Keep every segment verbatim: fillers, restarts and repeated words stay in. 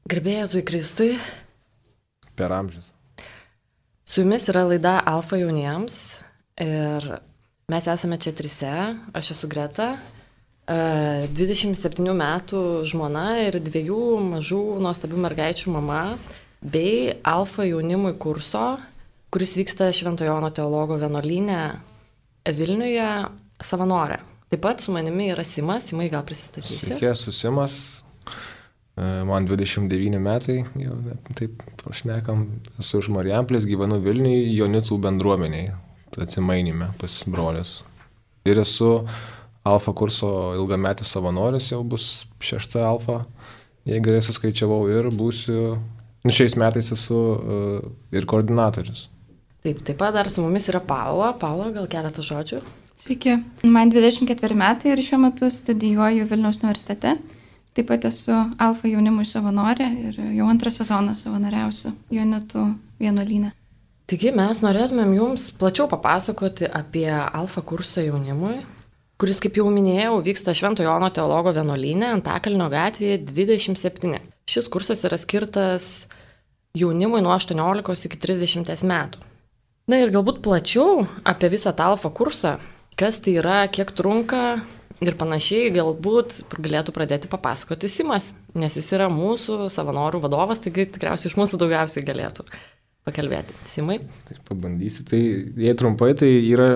Garbė Jėzui Kristui. Per amžius. Su jumis yra laida Alfa jauniems ir mes esame čia trise. Aš esu Greta, dvidešimt septynių metų žmona ir dviejų mažų nuostabių mergaičių mama, bei Alfa jaunimui kurso, kuris vyksta Švento Jono teologo vienuolyne Vilniuje, savanorė. Taip pat su manimi yra Simas. Simai, gal prisistatysi? Sveiki, esu Simas. Man dvidešimt devyni metai, jau taip pašnekam, esu iš Marijampolės, gyvenu Vilniuje, Jonitų bendruomeniai, atsimainime pas brolius. Ir esu Alfa kurso ilgametis savanoris, jau bus šešta Alfa, jei gerai suskaičiavau, ir būsiu, nu šiais metais esu uh, ir koordinatorius. Taip, taip pat dar su mumis yra Paula. Paula, gal keletą žodžių? Sveiki, man dvidešimt ketveri metai ir šiuo metu studijuoju Vilniaus universitete. Taip pat esu Alfa jaunimui savanorė ir jau antrą sezoną savanoriausiu Jonitų vienuolyne. Taigi mes norėtumėm jums plačiau papasakoti apie Alfa kursą jaunimui, kuris, kaip jau minėjau, vyksta Švento Jono teologo vienuolyne Antakalnio gatvėje dvidešimt septyni. Šis kursas yra skirtas jaunimui nuo aštuoniolikos iki trisdešimties metų. Na ir galbūt plačiau apie visą tą Alfa kursą, kas tai yra, kiek trunka ir panašiai, galbūt galėtų pradėti papasakoti Simas, nes jis yra mūsų savanorių vadovas, taigi tikriausiai iš mūsų daugiausiai galėtų pakalbėti. Simai? Tai pabandysiu. Tai jei trumpai, tai yra,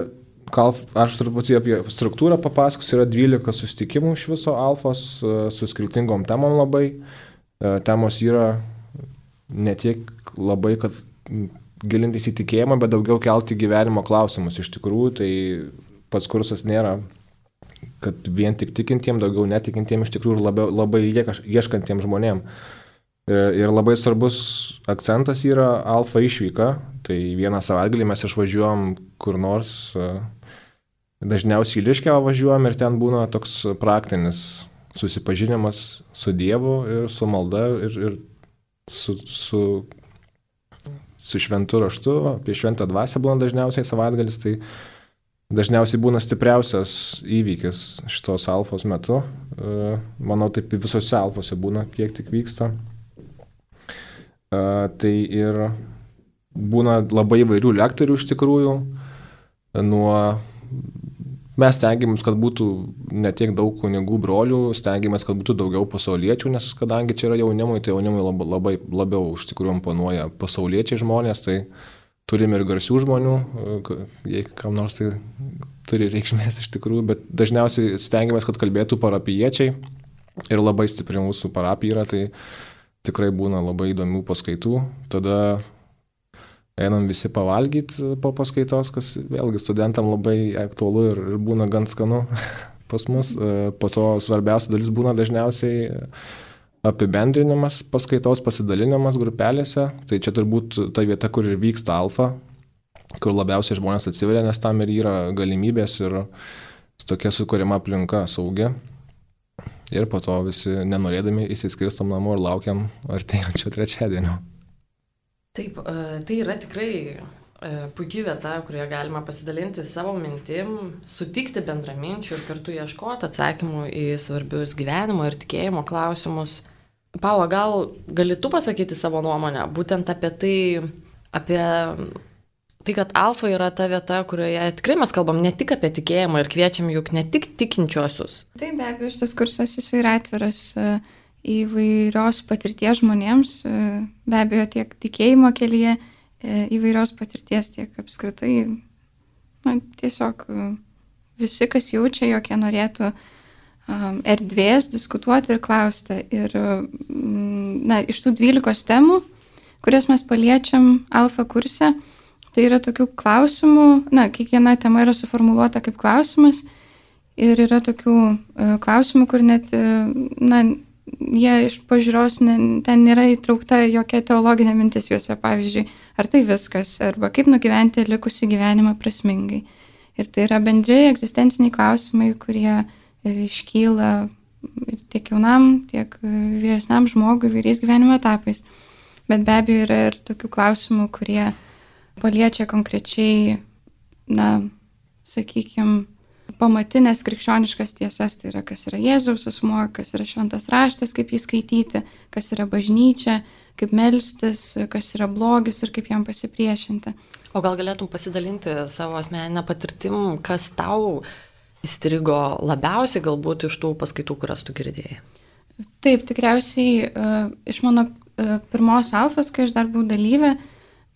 aš truputį apie struktūrą papasakosiu, yra dvylika susitikimų iš viso Alfos su skirtingom temom labai. Temos yra ne tiek labai, kad gilintis į tikėjimą, bet daugiau kelti gyvenimo klausimus. Iš tikrųjų, tai pats kursas nėra kad vien tik tikintiem, daugiau netikintiem, iš tikrųjų labiau, labai ieškantiem žmonėm. Ir labai svarbus akcentas yra Alfa išvyka. Tai vieną savaitgalį mes išvažiuojam kur nors, dažniausiai į Liškiavą važiuojam ir ten būna toks praktinis susipažinimas su Dievu ir su malda ir, ir su, su, su šventu raštu. Apie šventą dvasią būna dažniausiai savaitgalis, tai dažniausiai būna stipriausias įvykis šitos Alfos metu. Manau, taip visose Alfose būna, kiek tik vyksta. Tai ir būna labai įvairių lektorių iš tikrųjų. Nuo... Mes stengiamės, kad būtų ne tiek daug kunigų brolių, stengiamės, kad būtų daugiau pasauliečių, nes kadangi čia yra jaunimui, tai jaunimui labai, labai labiau iš tikrųjų imponuoja pasauliečiai žmonės, tai turime ir garsių žmonių, jei kam nors tai turi reikšmės iš tikrųjų, bet dažniausiai stengiamės, kad kalbėtų parapijiečiai ir labai stipri mūsų parapija yra, tai tikrai būna labai įdomių paskaitų. Tada einam visi pavalgyti po paskaitos, kas vėlgi studentam labai aktualu ir, ir būna gan skanu pas mus. Po to svarbiausia dalis būna dažniausiai apibendrinimas paskaitos, pasidalinimas grupelėse. Tai čia turbūt ta vieta, kur ir vyksta Alfa, kur labiausiai žmonės atsiveria, nes tam ir yra galimybės ir tokia sukuriama aplinka saugi. Ir po to visi nenorėdami įsiskirstam namo ir laukiam artėjančio trečiadienio. Taip, tai yra tikrai puikiai vieta, kurioje galima pasidalinti savo mintim, sutikti bendraminčių ir kartu ieškoti atsakymų į svarbius gyvenimo ir tikėjimo klausimus. Paula, gal gali tu pasakyti savo nuomonę būtent apie tai, apie tai, kad Alfa yra ta vieta, kurioje tikrai mes kalbam ne tik apie tikėjimą ir kviečiam juk ne tik tikinčiuosius. Taip, be abejo, šitas kursas jis yra atviras įvairios patirties žmonėms, be abejo tiek tikėjimo kelyje, įvairios patirties, tiek apskritai, na, tiesiog visi, kas jaučia, jog jie norėtų um, erdvės diskutuoti ir klausti. Ir na, iš tų dvylikos temų, kurias mes paliečiam Alfa kurse, tai yra tokių klausimų, na, kiekviena tema yra suformuluota kaip klausimas ir yra tokių uh, klausimų, kur net, uh, na, jie iš pažiūros, ne, ten nėra įtraukta jokia teologinė mintis juose, pavyzdžiui, ar tai viskas, arba kaip nugyventi likusį gyvenimą prasmingai. Ir tai yra bendri egzistenciniai klausimai, kurie iškyla tiek jaunam, tiek vyresniam žmogui, vyriais gyvenimo etapais. Bet be abejo yra ir tokių klausimų, kurie paliečia konkrečiai, na, sakykime, pamatinės krikščioniškas tiesas, tai yra, kas yra Jėzaus asmuo, kas yra šventas raštas, kaip jį skaityti, kas yra bažnyčia, kaip melstis, kas yra blogis ir kaip jam pasipriešinti. O gal galėtum pasidalinti savo asmeninę patirtim, kas tau įstrigo labiausiai galbūt iš tų paskaitų, kurias tu girdėjai? Taip, tikriausiai uh, iš mano uh, pirmos alfos, kai aš dar buvau dalyvė,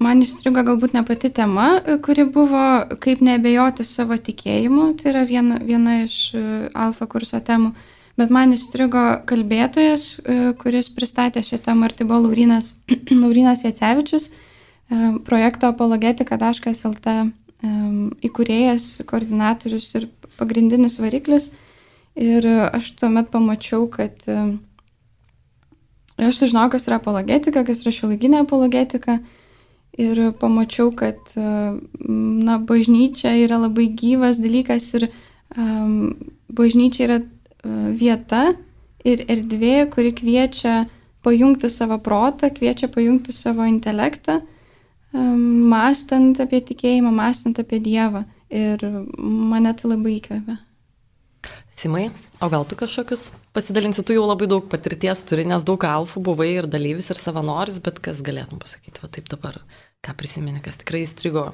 man įstrigo galbūt ne pati tema, kuri buvo kaip neabejoti savo tikėjimu, tai yra viena, viena iš uh, alfa kurso temų, bet man įstrigo kalbėtojas, uh, kuris pristatė šią temą, ir tai buvo Laurynas, Laurynas Jacevičius, uh, projekto apologetika taškas el tė um, įkūrėjas, koordinatorius ir pagrindinis variklis. Ir aš tuomet pamačiau, kad uh, aš sužinojau, kas yra apologetika, kas yra šiuolaikinė apologetika. Ir pamačiau, kad na, bažnyčia yra labai gyvas dalykas ir um, bažnyčia yra uh, vieta ir erdvė, kuri kviečia pajungti savo protą, kviečia pajungti savo intelektą, um, mąstant apie tikėjimą, mąstant apie Dievą. Ir mane tai labai įkvėpė. Simai, o gal tu kažkokius pasidalinsi, tu jau labai daug patirties turi, nes daug alfų buvai ir dalyvis, ir savanoris, bet kas galėtum pasakyti, va taip dabar, ką prisimeni, kas tikrai įstrigo?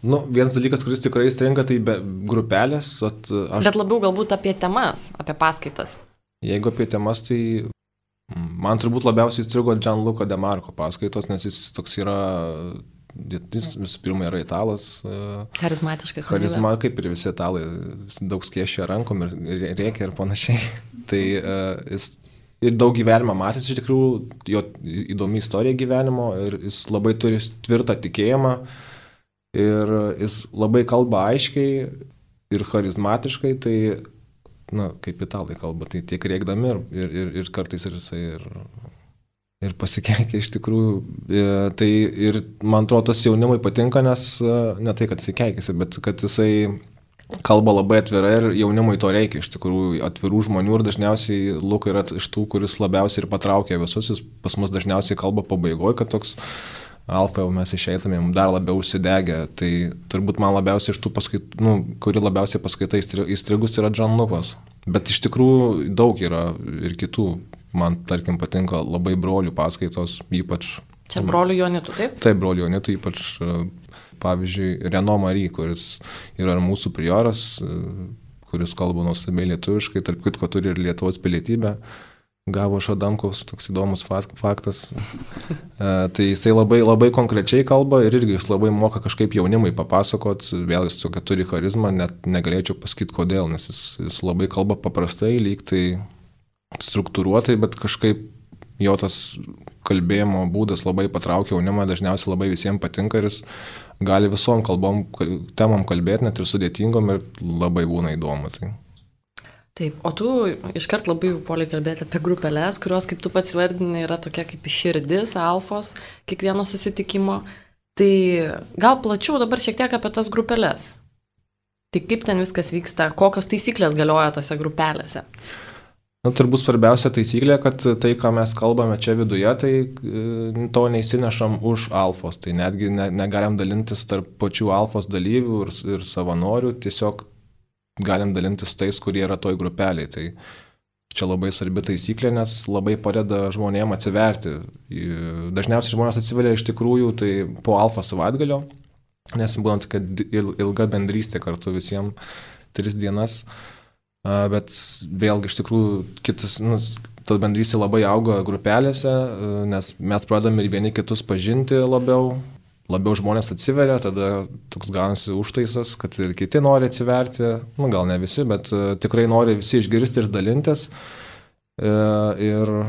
Nu, vienas dalykas, kuris tikrai įstringa, tai be grupelės. At, aš... Bet labiau galbūt apie temas, apie paskaitas. Jeigu apie temas, tai man turbūt labiausiai įstrigo Gianluca De Marco paskaitos, nes jis toks yra... Jis visų pirma yra italas. Charizmatiškas. Charizma, kaip ir visi italai, daug skiešia rankom ir rėkia ir panašiai. Tai uh, jis ir daug gyvenimą matęs, iš tikrųjų, jo įdomi istorija gyvenimo ir jis labai turi tvirtą tikėjimą ir jis labai kalba aiškiai ir charizmatiškai, tai, na, kaip italai kalba, tai tiek rėkdami ir, ir, ir, ir kartais ir jisai ir... Ir pasikeikia iš tikrųjų. Tai ir man atrodo, tas jaunimui patinka, nes ne tai, kad jisai keikiasi, bet kad jisai kalba labai atvirai ir jaunimui to reikia iš tikrųjų atvirų žmonių ir dažniausiai Luka yra iš tų, kuris labiausiai ir patraukia visus, jis pas mus dažniausiai kalba pabaigoje, kad toks alfa jau mes išeitumėm dar labiau užsidegę. Tai turbūt man labiausiai iš tų paskaitų, nu, kuri labiausiai paskaita įstrigus yra Gianlucos. Bet iš tikrųjų daug yra ir kitų. Man, tarkim, patinka labai brolių paskaitos, ypač... Čia brolių Jonitų, taip? Taip, brolių Jonitų, ypač, pavyzdžiui, Reno Mary, kuris yra mūsų prioras, kuris kalba nuostabiai lietuviškai, tarp kitko turi ir Lietuvos pilietybę, gavo iš Adamkaus, toks įdomus faktas. Tai jisai labai, labai konkrečiai kalba ir irgi jis labai moka kažkaip jaunimui papasakot, vėl jis tokia turi charizmą, net negalėčiau pasakyti kodėl, nes jis, jis labai kalba paprastai, lyg tai struktūruotai, bet kažkaip jo tas kalbėjimo būdas labai patraukia jaunimą, dažniausiai labai visiems patinka ir jis gali visom kalbom, temom kalbėti, net ir sudėtingom ir labai būna įdomu. Tai. Taip, o tu iškart labai puoliai kalbėti apie grupelės, kurios, kaip tu pats vardini, yra tokia kaip širdis, alfos, kiekvieno susitikimo. Tai gal plačiau dabar šiek tiek apie tas grupelės. Tai kaip ten viskas vyksta, kokios taisyklės galioja tose grupelėse? Na, turbūt svarbiausia taisyklė, kad tai, ką mes kalbame čia viduje, tai to neįsinešam už alfos. Tai netgi ne, negalim dalintis tarp pačių alfos dalyvių ir, ir savanorių, tiesiog galim dalintis tais, kurie yra toj grupeliai. Tai čia labai svarbi taisyklė, nes labai padeda žmonėm atsiverti. Dažniausiai žmonės atsiveria iš tikrųjų tai po alfa savaitgalio, nes būna tokia ilga bendrystė kartu visiems tris dienas. Bet vėlgi iš tikrųjų kitas, nu, ta bendrystė labai auga grupelėse, nes mes pradame ir vieni kitus pažinti labiau, labiau žmonės atsiveria, tada toks gaunasi užtaisas, kad ir kiti nori atsiverti, nu gal ne visi, bet tikrai nori visi išgirsti ir dalintis. Ir,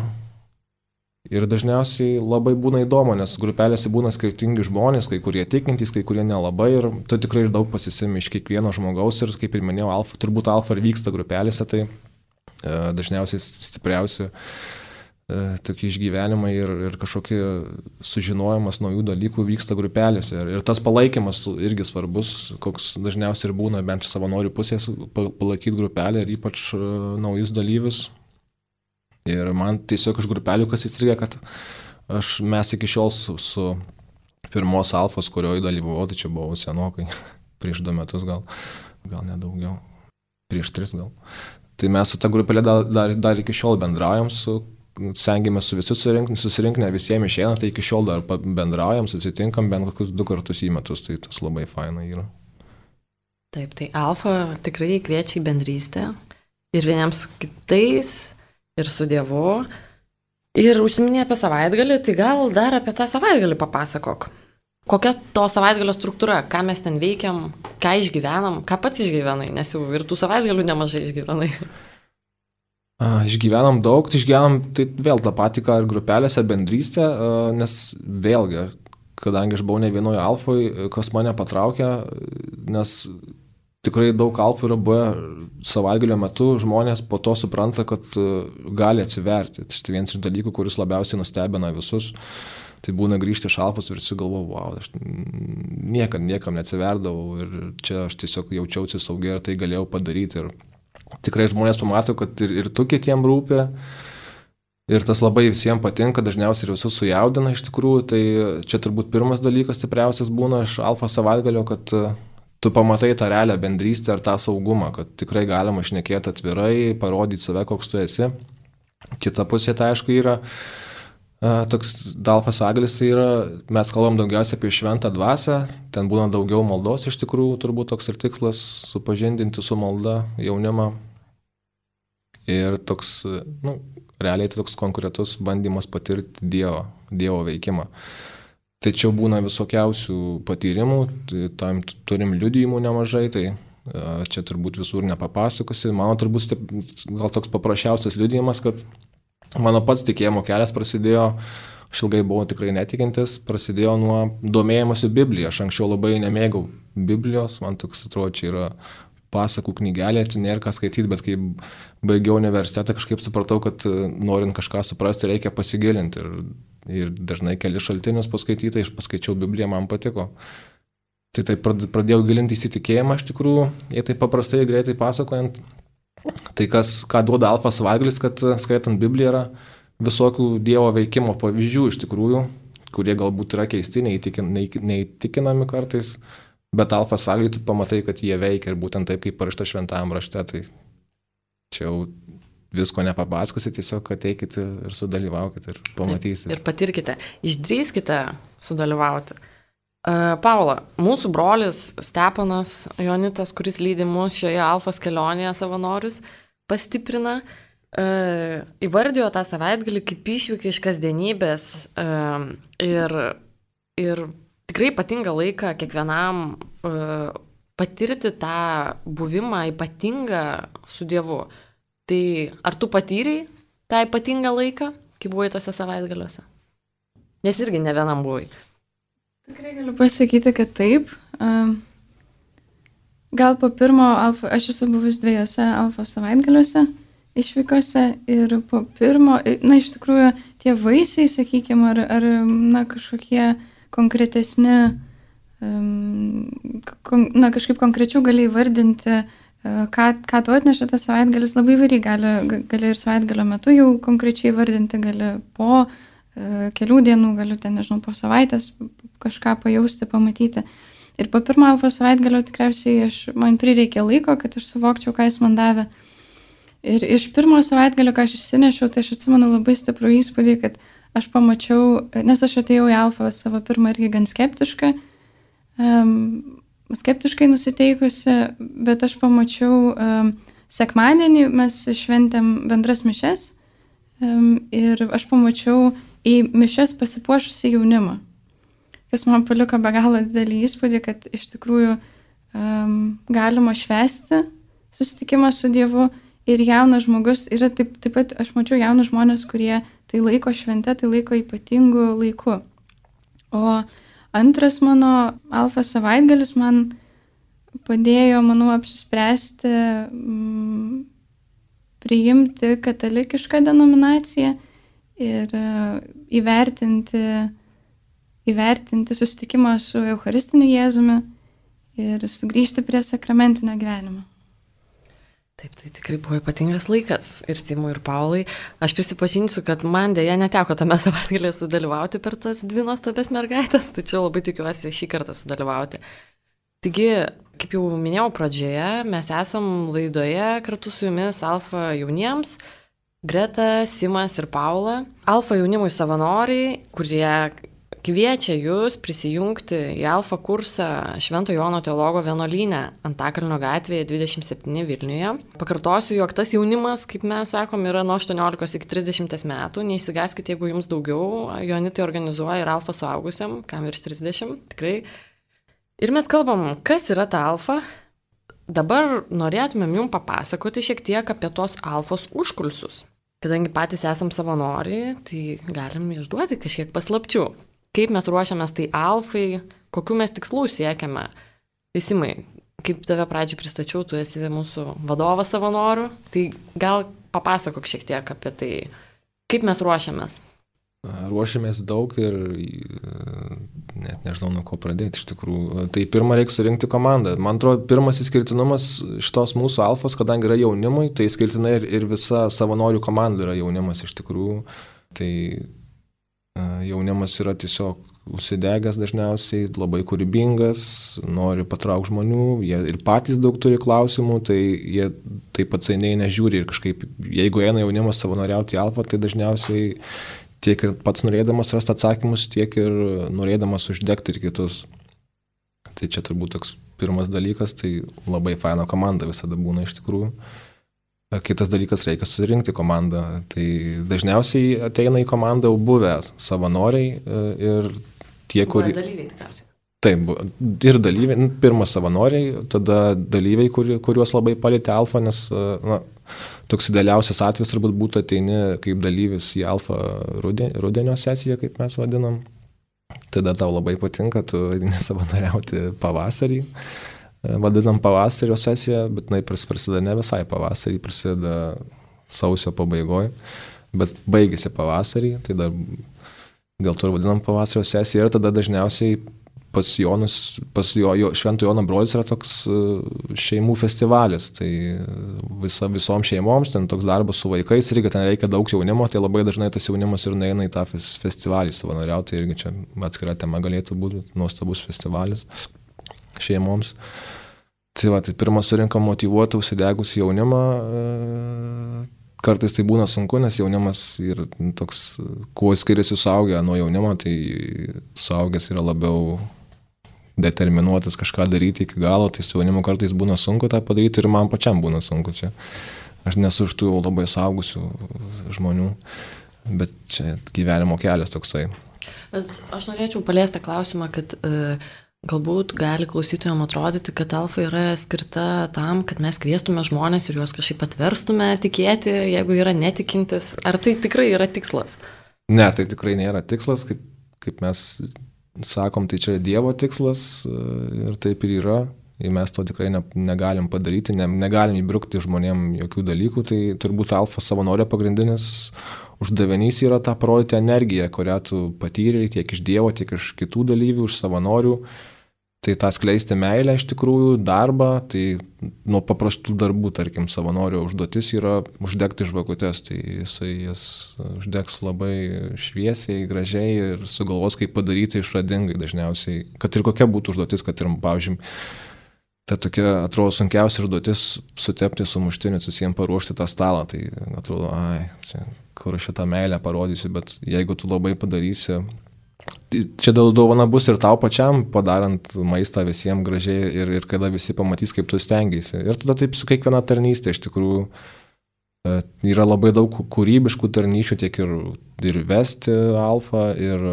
ir dažniausiai labai būna įdomu, nes grupelėse būna skirtingi žmonės, kai kurie tikintys, kai kurie nelabai ir tu tikrai ir daug pasisimi iš kiekvieno žmogaus ir kaip ir minėjau, alfa, turbūt alfa ir vyksta grupelėse, tai e, dažniausiai stipriausi e, tokie išgyvenimai ir, ir kažkokie sužinojimas naujų dalykų vyksta grupelėse ir, ir tas palaikymas irgi svarbus, koks dažniausiai ir būna bent savanorių pusės palaikyti grupelę ir ypač e, naujus dalyvius. Ir man tiesiog iš grupelių kas įstrigė, kad aš, mes iki šiol su, su pirmos alfos, kurioje dalyvavau, tai čia buvau senokai, prieš du metus gal, gal nedaugiau. prieš tris gal. Tai mes su ta grupelė dar, dar, dar iki šiol bendraujam, su, stengiamės su visi susirinkti, susirinkti, ne visiems išeina, tai iki šiol dar bendraujam, susitinkam bent kokius du kartus į metus, tai tas labai faina yra. Taip, tai Alfa tikrai kviečia į bendrystę ir vieniems su kitais, ir su Dievu. Ir užsiminė apie savaitgalį, tai gal dar apie tą savaitgalį papasakok. Kokia to savaitgalio struktūra, ką mes ten veikiam, ką išgyvenam, ką pats išgyvenai, nes jau ir tų savaitgalių nemažai išgyvenai. A, išgyvenam daug, tai išgyvenam tai vėl tą patį, ką ir grupelėse, bendrystė, a, nes vėlgi, kadangi aš buvau ne vienoje Alfoje, kas mane patraukė, nes tikrai daug Alfų yra buvę savaitgalio metu, žmonės po to supranta, kad gali atsiverti. Tai vienas iš dalykų, kuris labiausiai nustebina visus. Tai būna grįžti iš Alfos ir visi galvoja, wow, aš niekam, niekam neatsiverdavau ir čia aš tiesiog jaučiausi saugiai ir tai galėjau padaryti. Ir tikrai žmonės pamato, kad ir, ir tu kitiem rūpi ir tas labai visiems patinka, dažniausiai ir visus sujaudina iš tikrųjų. Tai čia turbūt pirmas dalykas stipriausias būna iš Alfos savaitgalio, kad tu pamatai tą realią bendrystę ir tą saugumą, kad tikrai galima šnekėti atvirai, parodyti save, koks tu esi. Kita pusė tai aišku yra toks Alfos savaitgalis, tai yra, mes kalbam daugiausiai apie šventą dvasią, ten būna daugiau maldos iš tikrųjų, turbūt toks ir tikslas supažindinti su malda jaunimą. Ir toks, nu, realiai tai toks konkretus bandymas patirti Dievo, Dievo veikimą. Tačiau būna visokiausių patyrimų, tai tam turim liudijimų nemažai, tai čia turbūt visur nepapasakosi. Mano turbūt gal toks paprasčiausias liudijimas, kad mano pats tikėjimo kelias prasidėjo, aš ilgai buvau tikrai netikintis, prasidėjo nuo domėjimosi Biblija. Aš anksčiau labai nemėgau Biblijos, man toks atrodo, čia yra pasakų knygelė, čia nėra ką skaityti, bet kai baigiau universitetą, kažkaip supratau, kad norint kažką suprasti, reikia pasigilinti. Ir, ir dažnai keli šaltinius paskaityti, aš paskaičiau Bibliją, man patiko. Tai taip pradėjau gilinti įsitikėjimą, iš tikrųjų, jei taip paprastai greitai pasakojant. Tai kas, ką duoda Alfos savaitgalis, kad skaitant Bibliją yra visokių Dievo veikimo pavyzdžių iš tikrųjų, kurie galbūt yra keisti, neįtikin, neįtikinami kartais, bet Alfos savaitgalį tu pamatai, kad jie veikia ir būtent taip, kaip parašta šventajam rašte, tai čia jau visko nepapasakosi, tiesiog ateikite ir sudalyvaukite ir pamatysite. Ir patirkite, išdrįskite sudalyvauti. Paula, mūsų brolis Steponas Jonitas, kuris lydi mus šioje Alfos kelionėje savanorius, pastiprina, įvardijo tą savaitgalį kaip išvyką iš kasdienybės ir, ir tikrai ypatingą laiką kiekvienam patirti tą buvimą ypatingą su Dievu. Tai ar tu patyrei tą ypatingą laiką, kai buvai tose savaitgaliuose? Nes irgi ne vienam buvai. Tikrai galiu pasakyti, kad taip. Gal po pirmo, alfa, aš esu buvus dviejose Alfos savaitgaliuose išvykose ir po pirmo, na iš tikrųjų tie vaisiai, sakykime, ar, ar na, kažkokie konkretesni, kon, na kažkaip konkrečiau gali įvardinti, ką, ką tu atnešė tas savaitgalis, labai įvairiai gali, gali ir savaitgalio metu jau konkrečiai įvardinti, gali po kelių dienų, galiu ten, nežinau, po savaitės kažką pajausti, pamatyti. Ir po pirmo Alfos savaitgalio tikriausiai aš, man prireikė laiko, kad aš suvokčiau, ką jis man davė. Ir iš pirmo savaitgalio, ką aš išsinešiau, tai aš atsimenu labai stiprų įspūdį, kad aš pamačiau, nes aš atėjau į Alfą savo pirmą irgi gan skeptišką, um, skeptiškai nusiteikusi, bet aš pamačiau um, sekmadienį, mes šventėm bendras mišes um, ir aš pamačiau į mišes pasipuošusi jaunimą, kas man paliko be galo didelį įspūdį, kad iš tikrųjų um, galima švęsti susitikimą su Dievu ir jaunas žmogus yra taip, taip pat, aš mačiau jaunus žmonės, kurie tai laiko švente, tai laiko ypatingų laiku. O antras mano Alfos savaitgalis man padėjo, manau, apsispręsti mm, priimti katalikišką denominaciją ir uh, įvertinti, įvertinti susitikimą su Eucharistiniu Jėzumi ir sugrįžti prie sakramentinio gyvenimo. Taip, tai tikrai buvo ypatingas laikas ir Timui, ir Paulai. Aš prisipažinsiu, kad man dėja neteko tame savaitgalėje sudalyvauti per tas dvi nuostabias mergaitės, tačiau labai tikiuosi šį kartą sudalyvauti. Taigi, kaip jau minėjau pradžioje, mes esam laidoje kartu su jumis Alfa jauniems, Greta, Simas ir Paula. Alfa jaunimui savanoriai, kurie kviečia jūs prisijungti į Alfa kursą Švento Jono teologo vienuolyne Antakalnio gatvėje dvidešimt septyni Vilniuje. Pakartosiu, jog tas jaunimas, kaip mes sakom, yra nuo aštuoniolikos iki trisdešimties metų. Neišsigąskite, jeigu jums daugiau. Joanitai organizuoja ir Alfa suaugusiam, kam virš trisdešimt, tikrai. Ir mes kalbam, kas yra ta Alfa. Dabar norėtumėm jums papasakoti šiek tiek apie tos Alfos užkulsius. Kadangi patys esam savanoriai, tai galim išduoti kažkiek paslapčių. Kaip mes ruošiamės tai Alfai, kokių mes tikslų siekiame. Simai, kaip tave pradžioj pristačiau, tu esi mūsų vadovas savanorių, tai gal papasakok šiek tiek apie tai, kaip mes ruošiamės. Ruošiamės daug ir net nežinau, nuo ko pradėti iš tikrųjų. Tai pirmą reikia surinkti komandą. Man atrodo, pirmas išskirtinumas šitos mūsų Alfos, kadangi yra jaunimui, tai išskirtinai ir, ir visa savanorių komanda yra jaunimas iš tikrųjų. Tai jaunimas yra tiesiog užsidegęs dažniausiai, labai kūrybingas, nori patraukti žmonių, jie ir patys daug turi klausimų, tai jie taip atsainiai nežiūri ir kažkaip, jeigu eina jaunimas savanoriauti į Alfą, tai dažniausiai tiek ir pats norėdamas rasti atsakymus, tiek ir norėdamas uždegti ir kitus. Tai čia turbūt toks pirmas dalykas, tai labai faina komanda visada būna iš tikrųjų. Kitas dalykas, reikia susirinkti komandą. Tai dažniausiai ateina į komandą jau buvę savanoriai ir tie, kurie... Dalyviai tikriausiai. Taip, ir dalyviai, pirmas savanoriai, tada dalyviai, kuri, kuriuos labai palėtė Alfa, nes na, toks idealiausias atvejis turbūt būtų ateini kaip dalyvis į Alfa rudenio sesiją, kaip mes vadinam. Tada tau labai patinka, tu nesavanoriauti pavasarį. Vadinam pavasario sesiją, bet jinai prasideda ne visai pavasarį, prasideda sausio pabaigoje, bet baigėsi pavasarį, tai dar dėl to ir vadinam pavasario sesiją ir tada dažniausiai pas Jonus, pas jo, jo Švento Jono brolis yra toks šeimų festivalis, tai visa, visom šeimoms ten toks darbas su vaikais, irgi ten reikia daug jaunimo, tai labai dažnai tas jaunimas ir neina į tą festivalį savanoriauti, tai irgi čia atskira tema galėtų būti, nuostabus festivalis šeimoms. Tai va, tai pirmą surinkam motyvuotą, užsidegus jaunimą. Kartais tai būna sunku, nes jaunimas ir toks, kuo skiriasi suaugę nuo jaunimo, tai suaugęs yra labiau determinuotas kažką daryti iki galo, tai su jaunimu kartais būna sunku tą padaryti ir man pačiam būna sunku čia. Aš nesu iš tų labai suaugusių žmonių, bet čia gyvenimo kelias toksai. Bet aš norėčiau paliesti klausimą, kad uh, galbūt gali klausytojams atrodyti, kad Alfa yra skirta tam, kad mes kviestume žmonės ir juos kažkaip atverstume tikėti, jeigu yra netikintis. Ar tai tikrai yra tikslas? Ne, tai tikrai nėra tikslas, kaip, kaip mes sakom, tai čia Dievo tikslas ir taip ir yra. Ir mes to tikrai ne, negalim padaryti, ne, negalim įbrukti žmonėm jokių dalykų, tai turbūt Alfa savanorio pagrindinis uždavinys yra tą parodyti energiją, kurią tu patyrei tiek iš Dievo, tiek iš kitų dalyvių, iš savanorių. Tai tą skleisti meilę iš tikrųjų, darbą, tai nuo paprastų darbų, tarkim, savanorio užduotis yra uždegti žvakutes, tai jisai jas uždegs labai šviesiai, gražiai ir sugalvos, kaip padaryti išradingai dažniausiai, kad ir kokia būtų užduotis, kad ir, pavyzdžiui, ta tokia, atrodo, sunkiausia užduotis sutepti sumuštinius, visiems paruošti tą stalą, tai atrodo, ai, čia, kur aš šitą meilę parodysiu, bet jeigu tu labai padarysi, čia dovana bus ir tau pačiam, padarant maistą visiems gražiai ir, ir kada visi pamatys, kaip tu stengiasi. Ir tada taip su kiekviena tarnystė iš tikrųjų yra labai daug kūrybiškų tarnyšių, tiek ir, ir vesti Alfa, ir,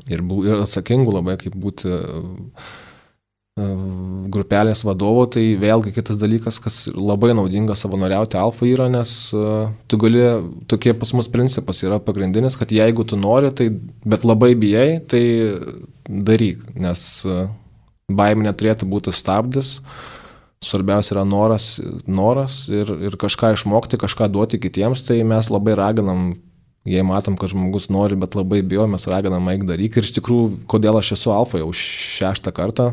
ir, ir atsakingų labai, kaip būti grupelės vadovo, tai vėlgi kitas dalykas, kas labai naudinga savanoriauti Alfa yra, nes uh, tu gali, tokie pas mus principas yra pagrindinis, kad jeigu tu nori, tai, bet labai bijai, tai daryk, nes uh, baimė neturėtų būti stabdis, svarbiausia yra noras, noras ir, ir kažką išmokti, kažką duoti kitiems, tai mes labai raginam, jei matom, kad žmogus nori, bet labai bijo, mes raginam eik daryk ir iš tikrųjų, kodėl aš esu Alfa jau šeštą kartą,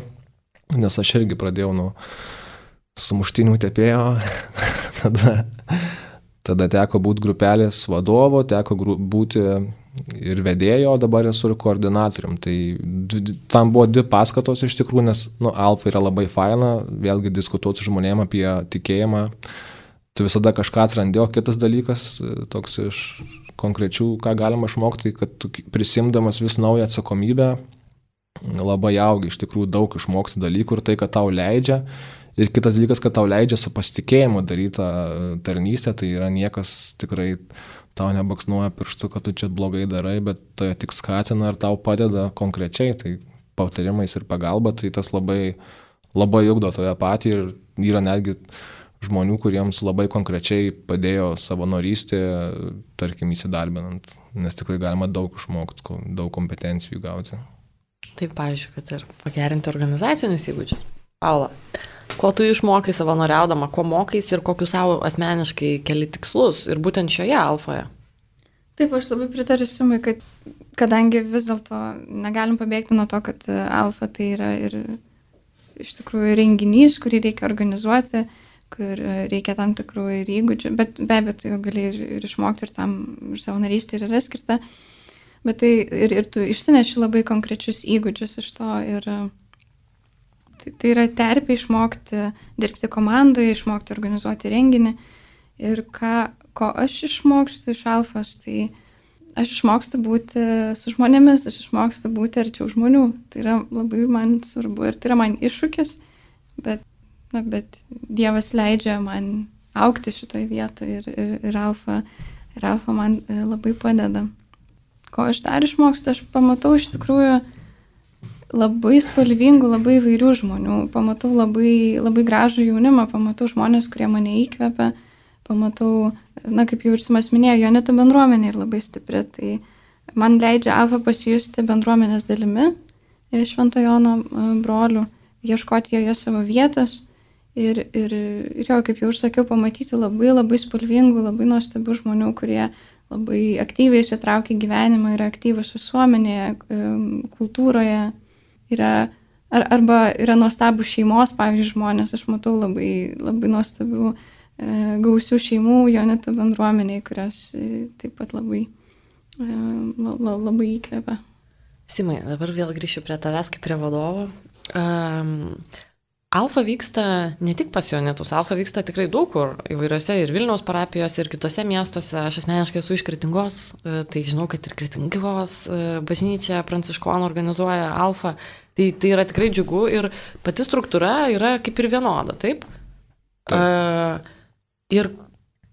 nes aš irgi pradėjau nuo sumuštinių tepėjo, tada, tada teko būti grupelės vadovo, teko gru, būti ir vedėjo, o dabar esu ir koordinatorium. Tai tam buvo dvi paskatos iš tikrųjų, nes nu, Alfa yra labai faina, vėlgi diskutuoti su žmonėm apie tikėjimą. Tu visada kažką atrandi, o kitas dalykas, toks iš konkrečių, ką galima išmokti, kad tu prisimdamas vis naują atsakomybę, labai augi, iš tikrųjų daug išmoksti dalykų ir tai, kad tau leidžia. Ir kitas dalykas, kad tau leidžia su pasitikėjimu darytą tarnystę, tai yra niekas tikrai tau nebaksnuoja pirštu, kad tu čia blogai darai, bet tai tik skatina ir tau padeda konkrečiai, tai patarimais ir pagalba, tai tas labai, labai ugdo toje patį ir yra netgi žmonių, kuriems labai konkrečiai padėjo savanorystė, tarkim, įsidarbinant, nes tikrai galima daug išmokti, daug kompetencijų gauti. Taip, pavyzdžiui, kad ir pagerinti organizacinius įgūdžius. Paula, ko tu išmokai savanoriaudama, ko mokais ir kokius savo asmeniškai keli tikslus ir būtent šioje Alfoje? Taip, aš labai pritariu Simui, kad kadangi vis dėlto negalim pabėgti nuo to, kad Alfa tai yra ir iš tikrųjų renginys, kurį reikia organizuoti, kur reikia tam tikrų ir įgūdžių, bet be abejo, tu jau gali ir, ir išmokti ir tam ir savanorystė ir yra skirta, bet tai ir, ir tu išsineši labai konkrečius įgūdžius iš to ir tai, tai yra terpė išmokti dirbti komandoje, išmokti organizuoti renginį ir ką, ko aš išmokstu iš Alfos, tai aš išmokstu būti su žmonėmis, aš išmokstu būti arčiau žmonių, tai yra labai man svarbu ir tai yra man iššūkis, bet Na, bet Dievas leidžia man augti šitoje vietoje ir, ir, ir, Alfa, ir Alfa man labai padeda. Ko aš dar išmokstu, aš pamatau iš tikrųjų labai spalvingų, labai įvairių žmonių, pamatau labai, labai gražų jaunimą, pamatau žmonės, kurie mane įkvepia, pamatau, na kaip jau ir Simas minėjo, Jonito bendruomenė yra labai stipri, tai man leidžia Alfa pasijusti bendruomenės dalimi, Švento Jono brolių, ieškoti joje savo vietos. Ir, ir, ir jau, kaip jau ir sakiau, pamatyti labai labai spalvingų, labai nuostabių žmonių, kurie labai aktyviai įsitraukia gyvenimą, yra aktyvus visuomenėje, kultūroje, yra, ar, arba yra nuostabų šeimos, pavyzdžiui, žmonės, aš matau labai, labai nuostabių e, gausių šeimų Jonito bendruomeniai, kurios e, taip pat labai, e, la, la, labai įkvepia. Simai, dabar vėl grįšiu prie tavęs kaip prie vadovo. Um, Alfa vyksta ne tik pas Jonitus, Alfa vyksta tikrai daug kur, įvairiose ir Vilniaus parapijose, ir kitose miestuose. Aš asmeniškai esu iš Kretingos, tai žinau, kad ir Kretingos bažnyčia pranciškonų organizuoja Alfa. Tai, tai yra tikrai džiugu ir pati struktūra yra kaip ir vienoda, taip? taip. Uh, ir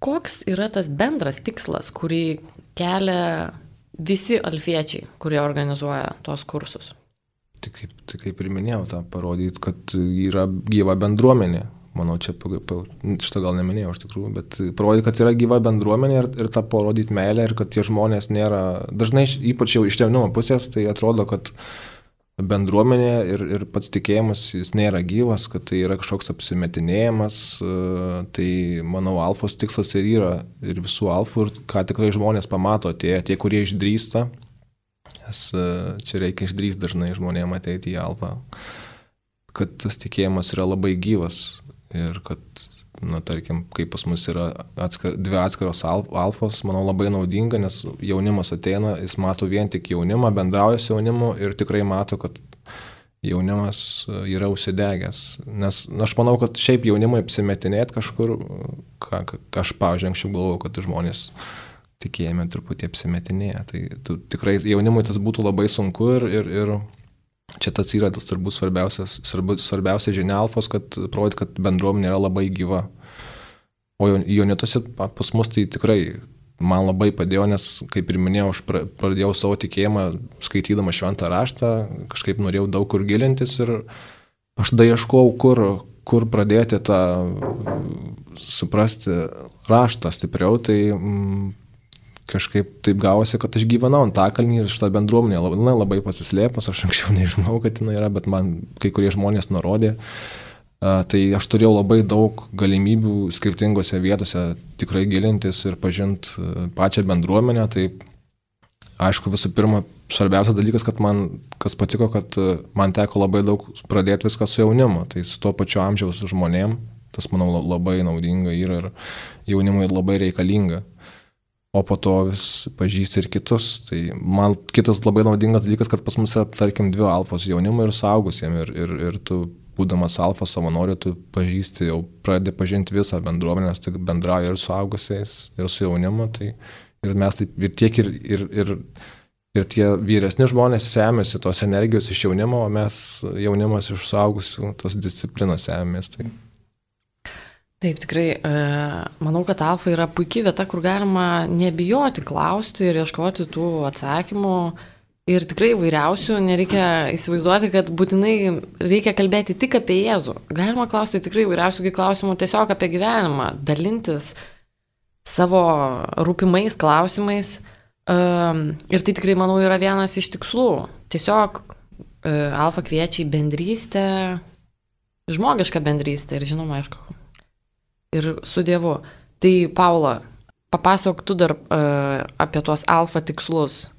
koks yra tas bendras tikslas, kurį kelia visi alfiečiai, kurie organizuoja tos kursus? Tai kaip, tai kaip ir minėjau, tą parodyti, kad yra gyva bendruomenė. Manau, čia šitą gal neminėjau iš tikrųjų, bet parodyti, kad yra gyva bendruomenė ir, ir tą parodyti meilę ir kad tie žmonės nėra, dažnai ypač jau iš jaunimo pusės, tai atrodo, kad bendruomenė ir, ir pats tikėjimas jis nėra gyvas, kad tai yra kažkoks apsimetinėjimas, tai manau, Alfos tikslas ir yra ir visų Alfų ir ką tikrai žmonės pamato, tie, tie kurie išdrįsta. Nes čia reikia išdrįsti dažnai žmonėms ateiti į Alfą, kad tas tikėjimas yra labai gyvas ir kad, na, tarkim, kaip pas mus yra atskar, dvi atskiros Alfos, manau, labai naudinga, nes jaunimas ateina, jis mato vien tik jaunimą, bendrauja su jaunimu ir tikrai mato, kad jaunimas yra užsidegęs. Nes na, aš manau, kad šiaip jaunimui apsimetinėti kažkur, ką, ką aš, pavyzdžiui, anksčiau galvojau, kad žmonės tikėjime truputį apsimetinėja. Tai tu, tikrai jaunimui tas būtų labai sunku ir, ir, ir čia tas yra tas turbūt svarbiausias, svarbiausia žinia Alfos, kad parodyti, kad bendruomenė yra labai gyva. O Jonituose pas mus tai tikrai man labai padėjo, nes, kaip ir minėjau, aš pradėjau savo tikėjimą skaitydama šventą raštą, kažkaip norėjau daug kur gilintis ir aš daieškau, kur, kur pradėti tą suprasti raštą stipriau, tai mm, kažkaip taip gavosi, kad aš gyvenau Antakalny ir šitą bendruomenę labai, na, labai pasislėpus, aš anksčiau nežinau, kad jinai yra, bet man kai kurie žmonės nurodė. Uh, tai aš turėjau labai daug galimybių skirtingose vietose tikrai gilintis ir pažinti uh, pačią bendruomenę. Tai aišku, visų pirma, svarbiausias dalykas, kad man, kas patiko, kad uh, man teko labai daug pradėti viską su jaunimu, tai su tuo pačiu amžiaus žmonėm. Tas, manau, labai naudinga yra ir jaunimui labai reikalinga. o po to vis pažįsti ir kitus. Tai man kitas labai naudingas dalykas, kad pas mus yra, tarkim, dvi alfos jaunimui ir suaugusiem. Ir, ir, ir tu, būdamas alfa savanoriu, tu pažįsti, jau pradedi pažinti visą bendruomenę, nes tik bendrauji ir suaugusiais, ir su jaunimu. Tai, ir mes taip, ir tiek ir, ir, ir, ir tie vyresni žmonės semėsi tos energijos iš jaunimo, o mes jaunimas iš suaugusių tos disciplinos semės. Tai. Taip, tikrai, manau, kad alfa yra puikiai vieta, kur galima nebijoti klausti ir ieškoti tų atsakymų. Ir tikrai vairiausių, nereikia įsivaizduoti, kad būtinai reikia kalbėti tik apie Jėzų. Galima klausti tikrai vairiausių klausimų tiesiog apie gyvenimą, dalintis savo rūpimais klausimais. Ir tai tikrai, manau, yra vienas iš tikslų. Tiesiog alfa kviečia į bendrystę, žmogišką bendrystę ir žinoma, aišku, ir su Dievu. Tai, Paula, papasakok tu dar uh, apie tuos alfa tikslus.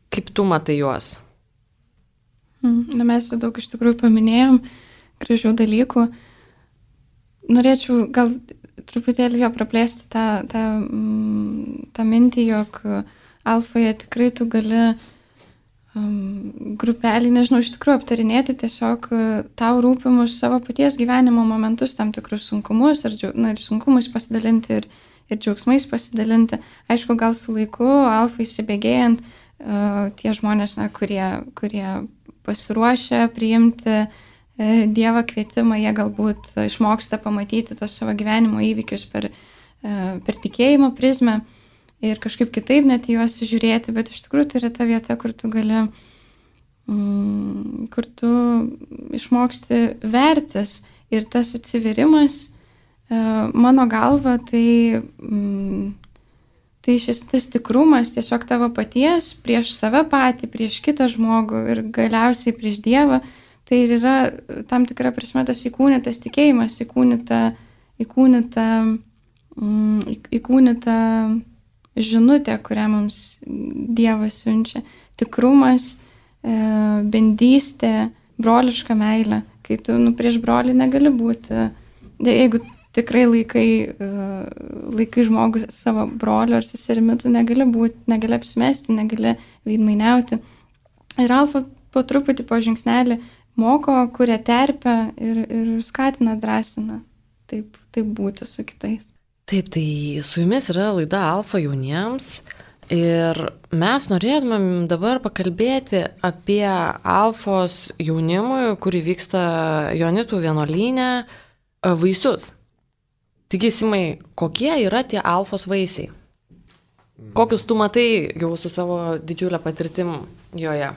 Kaip tu matai juos? Na, mes jau daug iš tikrųjų paminėjom gražių dalykų. Norėčiau gal truputėlį jo praplėsti tą, tą, tą mintį, jog alfoje tikrai tu gali um, grupelį, nežinau, iš tikrųjų aptarinėti tiesiog tau rūpimus savo paties gyvenimo momentus, tam tikrus sunkumus ir, na, ir sunkumus pasidalinti ir, ir džiaugsmais pasidalinti. Aišku, gal su laiku alfa įsibėgėjant, uh, tie žmonės, na, kurie, kurie pasiruošia priimti uh, Dievo kvietimą, jie galbūt išmoksta pamatyti tos savo gyvenimo įvykius per, uh, per tikėjimo prizmę ir kažkaip kitaip net juos žiūrėti, bet iš tikrųjų tai yra ta vieta, kur tu gali, mm, kur tu išmoksti vertis ir tas atsiverimas, uh, mano galva, tai, mm, tai šis tas tikrumas tiesiog tavo paties prieš save patį, prieš kitą žmogų ir galiausiai prieš Dievą, tai ir yra tam tikra prasme tas įkūnytas tikėjimas, įkūnyta, įkūnyta, mm, įkūnyta žinutė, kurią mums Dievas siunčia. Tikrumas, e, bendrystė, broliška meilė. Kai tu nu, prieš brolį negali būti. Jeigu tikrai laikai, e, laikai žmogų savo brolio ar seserimi, tu negali būti, negali apsimesti, negali veidmainiauti. Ir alfa po truputį, po žingsnelį moko, kuria terpę ir, ir skatina, drąsina taip, taip būti su kitais. Taip, tai su jumis yra laida Alfa jauniems ir mes norėtumėm dabar pakalbėti apie Alfos jaunimui, kuri vyksta Joanitų vienuolyne, vaisius. Taigi, Simai, kokie yra tie Alfos vaisiai? Kokius tu matai jau su savo didžiulė patirtim joje?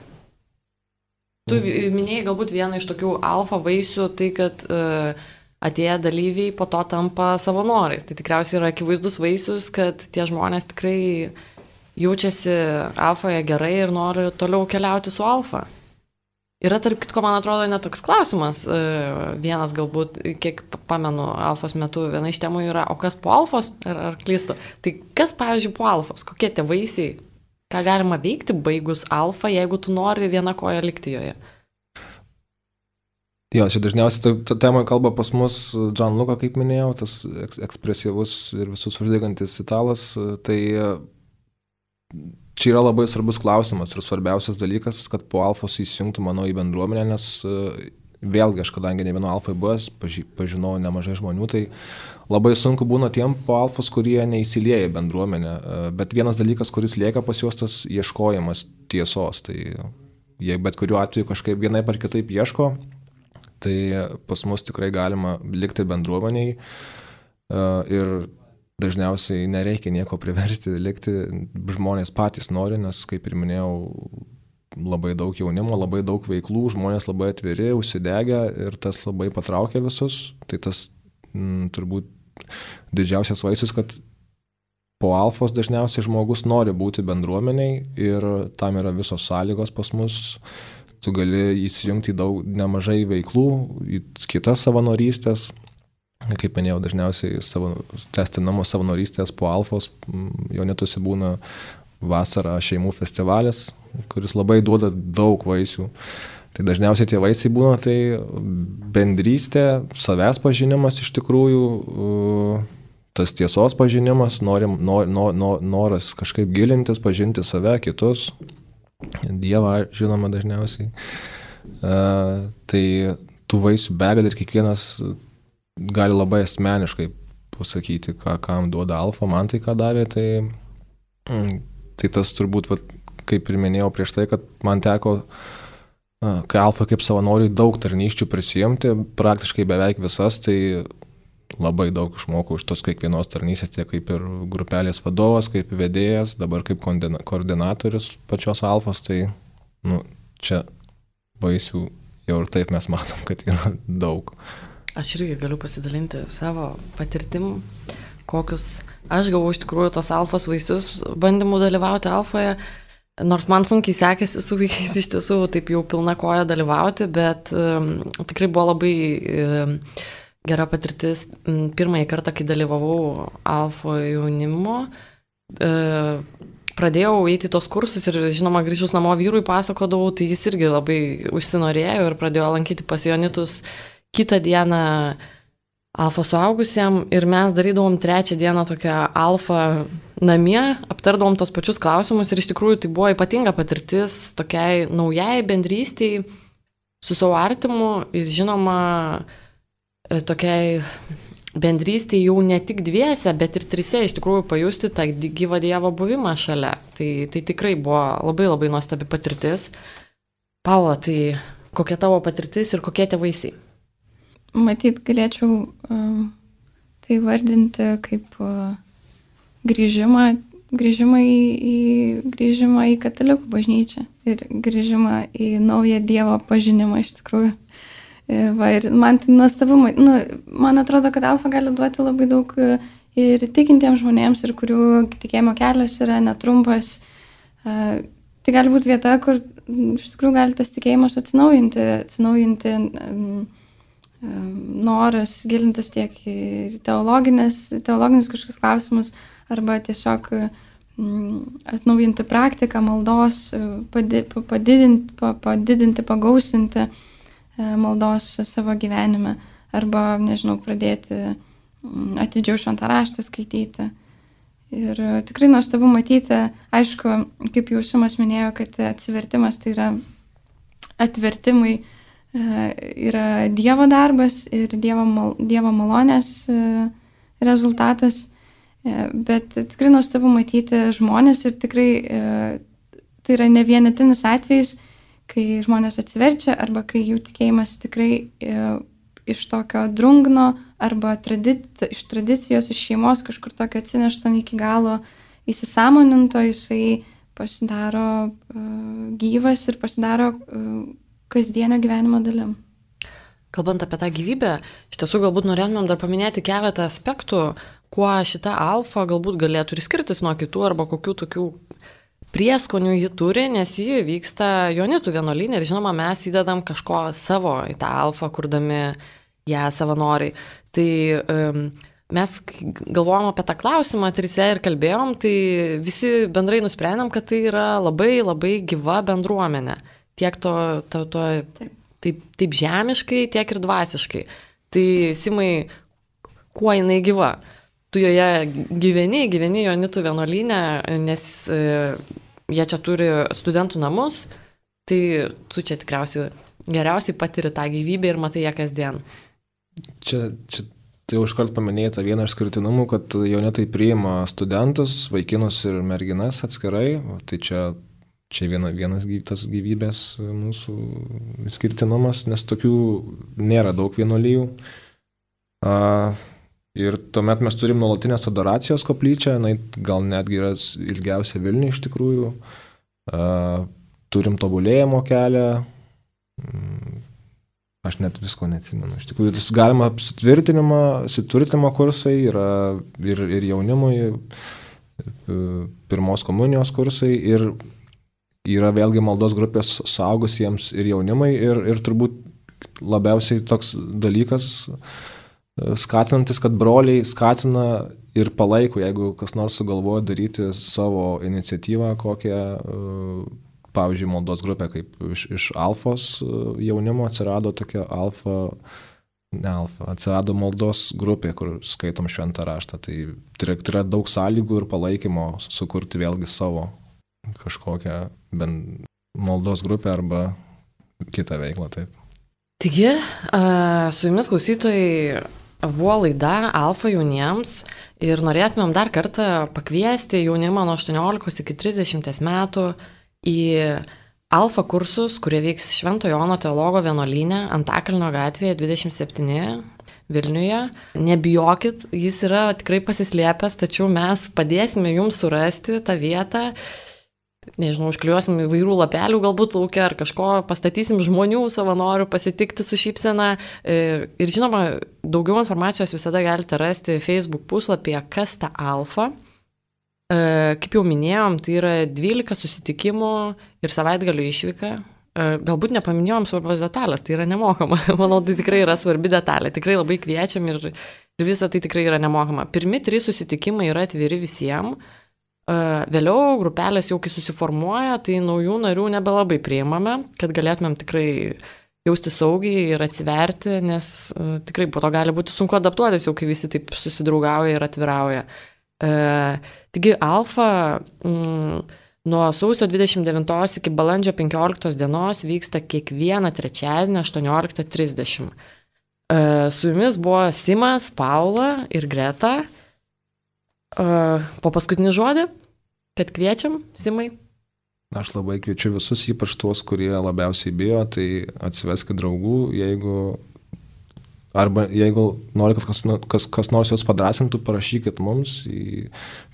Tu minėjai galbūt vieną iš tokių alfa vaisių, tai kad uh, atėję dalyviai po to tampa savanoriais. Tai tikriausiai yra akivaizdus vaisius, kad tie žmonės tikrai jaučiasi alfoje gerai ir nori toliau keliauti su alfa. Yra, tarp kitko, man atrodo, netoks klausimas. Uh, vienas galbūt, kiek pamenu, alfos metu viena iš temų yra, o kas po alfos, ar, ar klystu? Tai kas, pavyzdžiui, po alfos? Kokie tie vaisiai? Ką galima veikti baigus alfa, jeigu tu nori vieną koją likti joje? Jo, čia dažniausiai ta tema kalba pas mus Gianluca, kaip minėjau, tas ekspresyvus ir visus uždegantis italas. Tai čia yra labai svarbus klausimas ir svarbiausias dalykas, kad po alfos įsijungtų, manau, į bendruomenę, nes vėlgi, aš kadangi ne vienu alfai buvęs, pažinau nemažai žmonių, tai labai sunku būna tiem po alfos, kurie neįsilieja į bendruomenę. Bet vienas dalykas, kuris lieka pas juos, tas ieškojimas tiesos. Tai jei bet kuriuo atveju kažkaip vienaip ar kitaip ieško, tai pas mus tikrai galima likti bendruomeniai ir dažniausiai nereikia nieko priversti likti. Žmonės patys nori, nes, kaip ir minėjau, labai daug jaunimo, labai daug veiklų, žmonės labai atviri, užsidegę ir tas labai patraukia visus. Tai tas m, turbūt didžiausias vaisius, kad po alfos dažniausiai žmogus nori būti bendruomeniai ir tam yra visos sąlygos pas mus. Tu gali įsijungti į daug nemažai veiklų, į kitas savanorystės. Kaip minėjau, dažniausiai savo, testinamos savanorystės po alfos Joanituose būna vasarą šeimų festivalis, kuris labai duoda daug vaisių. Tai dažniausiai tie vaisiai būna tai bendrystė, savęs pažinimas iš tikrųjų, tas tiesos pažinimas, norim, nor, nor, nor, noras kažkaip gilintis, pažinti save, kitus, Dievą, žinoma, dažniausiai. Uh, tai tų vaisių begalė ir kiekvienas gali labai asmeniškai pasakyti, ką, kam duoda alfa, man tai ką davė, tai, tai tas turbūt, va, kaip ir minėjau prieš tai, kad man teko, kai alfa kaip savanoriui daug tarnysčių prisijimti, praktiškai beveik visas, tai labai daug išmokau iš tos kiekvienos tarnystės, tiek kaip ir grupelės vadovas, kaip vedėjas, dabar kaip koordinatorius pačios alfos, tai nu, čia vaisių jau ir taip mes matom, kad yra daug. Aš irgi galiu pasidalinti savo patirtim, kokius aš gavau iš tikrųjų tos alfos vaisius bandymų dalyvauti alfoje, nors man sunkiai sekėsi su vaikais iš tiesų taip jau pilna koja dalyvauti, bet um, tikrai buvo labai um, gera patirtis. Pirmąjį kartą, kai dalyvavau alfo jaunimo, uh, pradėjau eiti tos kursus ir, žinoma, grįžus namo vyrui pasakodavau, tai jis irgi labai užsinorėjo ir pradėjo lankyti pas Jonitus kitą dieną alfa suaugusiam ir mes darydavom trečią dieną tokią alfa namie, aptardavom tos pačius klausimus ir iš tikrųjų tai buvo ypatinga patirtis tokiai naujai bendrystei su savo artimu ir, žinoma, tokiai bendrystėje jau ne tik dviese, bet ir trise iš tikrųjų pajusti tą gyvą Dievo buvimą šalia. Tai, tai tikrai buvo labai labai nuostabi patirtis. Paula, tai kokia tavo patirtis ir kokie tie vaisiai? Matyt, galėčiau uh, tai vardinti kaip uh, grįžimą, grįžimą, į, į, grįžimą į katalikų bažnyčią ir grįžimą į naują Dievo pažinimą iš tikrųjų. Va, ir man tai nuostabu, nu, man atrodo, kad alfa gali duoti labai daug ir tikintiems žmonėms, ir kurių tikėjimo kelias yra netrumpas. Tai gali būti vieta, kur iš tikrųjų gali tas tikėjimas atsinaujinti, atsinaujinti um, noras gilintis tiek į teologinės, teologinis kažkokius klausimus, arba tiesiog um, atnaujinti praktiką, maldos, padidinti, padidinti, pagausinti maldos savo gyvenime, arba, nežinau, pradėti atidžiau šventą raštą skaityti. Ir tikrai nuostabu matyti, aišku, kaip jau Simas minėjo, kad atsivertimas tai yra atvertimai, yra Dievo darbas ir Dievo, mal, Dievo malonės rezultatas, bet tikrai nuostabu matyti žmonės ir tikrai tai yra ne vienetinis atvejis, kai žmonės atsiverčia arba kai jų tikėjimas tikrai e, iš tokio drungno arba tradit, iš tradicijos, iš šeimos kažkur tokio atsinešto iki galo įsisąmoninto, jisai pasidaro e, gyvas ir pasidaro e, kasdienio gyvenimo dalim. Kalbant apie tą gyvybę, iš tiesų galbūt norėtumėm dar paminėti keletą aspektų, kuo šita alfa galbūt galėtų ir skirtis nuo kitų arba kokių tokių prieskonių ji turi, nes ji vyksta Jonitų vienuolyne ir, žinoma, mes įdedam kažko savo į tą alfą, kurdami ją savanoriai. Tai um, mes galvojom apie tą klausimą trise ir kalbėjom, tai visi bendrai nusprendėm, kad tai yra labai labai gyva bendruomenė. Tiek to, to, to taip. Taip, taip žemiškai, tiek ir dvasiškai. Tai, Simai, kuo jinai gyva? Tu joje gyveni, gyveni Jonitų vienuolyne, nes e, jie čia turi studentų namus, tai tu čia tikriausiai geriausiai patiri tą gyvybę ir matai ją kasdien. Čia, čia tai jau iškart paminėjai tą vieną išskirtinumų, kad Jonitai priima studentus, vaikinus ir merginas atskirai, tai čia, čia viena, vienas tas gyvybės mūsų išskirtinumas, nes tokių nėra daug vienuolijų. A, Ir tuomet mes turim nuolatinės adoracijos koplyčią, na, gal netgi yra ilgiausia Vilniuje iš tikrųjų. Uh, turim tobulėjimo kelią. Aš net visko neatsimenu. Iš tikrųjų, tas galima sutvirtinimo, sutvirtinimo kursai yra ir, ir jaunimui, pirmos komunijos kursai ir yra vėlgi maldos grupės suaugusiems ir jaunimai ir, ir turbūt labiausiai toks dalykas, skatinantis, kad broliai skatina ir palaiko, jeigu kas nors sugalvoja daryti savo iniciatyvą, kokią, pavyzdžiui, maldos grupė, kaip iš, iš alfos jaunimo atsirado tokia alfa Ne Alfa, atsirado maldos grupė, kur skaitom šventą raštą. Tai tai yra daug sąlygų ir palaikymo sukurti vėlgi savo kažkokią bent maldos grupę arba kitą veiklą. Taip. Taigi, su jumis klausytojai buvo laida Alfa jauniems ir norėtumėm dar kartą pakviesti jaunimą nuo aštuoniolikos iki trisdešimties metų į Alfa kursus, kurie vyks Švento Jono teologo vienuolyne Antakalnio gatvėje dvidešimt septyni Vilniuje. Nebijokit, jis yra tikrai pasislėpęs, tačiau mes padėsime jums surasti tą vietą. Nežinau, užkliuosim įvairių lapelių galbūt laukia ar kažko, pastatysim žmonių savanorių pasitikti su šypsena. Ir žinoma, daugiau informacijos visada galite rasti Facebook puslapyje Kas ta Alfa. Kaip jau minėjom, tai yra dvylika susitikimų ir savaitgalių išvyka. Galbūt nepaminėjom svarbios detalės, tai yra nemokama. Manau, tai tikrai yra svarbi detalė. Tikrai labai kviečiam ir, ir visa tai tikrai yra nemokama. Pirmi trys susitikimai yra atviri visiems. Vėliau grupelės jau kai susiformuoja, tai naujų narių nebelabai priimame, kad galėtumėm tikrai jausti saugiai ir atsiverti, nes tikrai po to gali būti sunku adaptuotis, jau kai visi taip susidraugauja ir atvirauja. Taigi Alfa mm, nuo sausio dvidešimt devintos iki balandžio penkioliktos dienos vyksta kiekvieną trečiadienį aštuonioliktą trisdešimt. Su jumis buvo Simas, Paula ir Greta. Po paskutinį žodį, kad kviečiam, Simai. Aš labai kviečiu visus, ypač tuos, kurie labiausiai bijo, tai atsiveskit draugų, jeigu arba jeigu nori, kad kas, kas, kas nors jūs padrasintų, parašykit mums į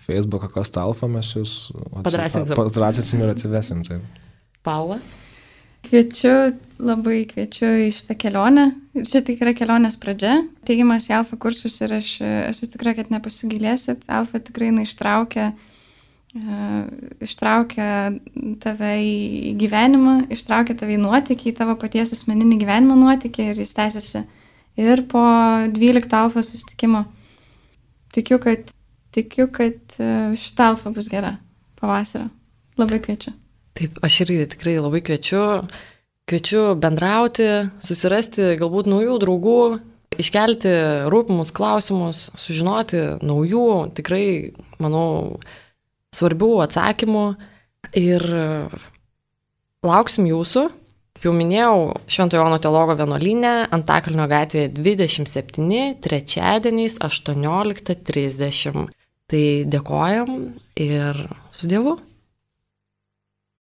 Facebooką Kas ta Alfa, mes jūs padrasinsim ir atsivesim. Taip. Paula? Kviečiu, labai kviečiu į šitą kelionę. Ir čia tik yra kelionės pradžia. Teigiamas į Alfa kursus ir aš, aš tikrai, kad nepasigilėsit. Alfa tikrai na, ištraukia, uh, ištraukia tave į gyvenimą, ištraukia tave į nuotykį, į tavo paties asmeninį gyvenimo nuotykį ir jis tęsiasi ir po dvylikto Alfa susitikimo. Tikiu, kad, tikiu, kad šita Alfa bus gera pavasarą. Labai kviečiu. Taip, aš irgi tikrai labai kviečiu. Kviečiu bendrauti, susirasti galbūt naujų draugų, iškelti rūpimus klausimus, sužinoti naujų, tikrai, manau, svarbių atsakymų. Ir lauksim jūsų. Jau minėjau, Švento Jono teologo vienuolyne Antakalnio gatvėje dvidešimt septyni, trečiadieniais aštuonioliktą trisdešimt. Tai dėkojam ir su Dievu.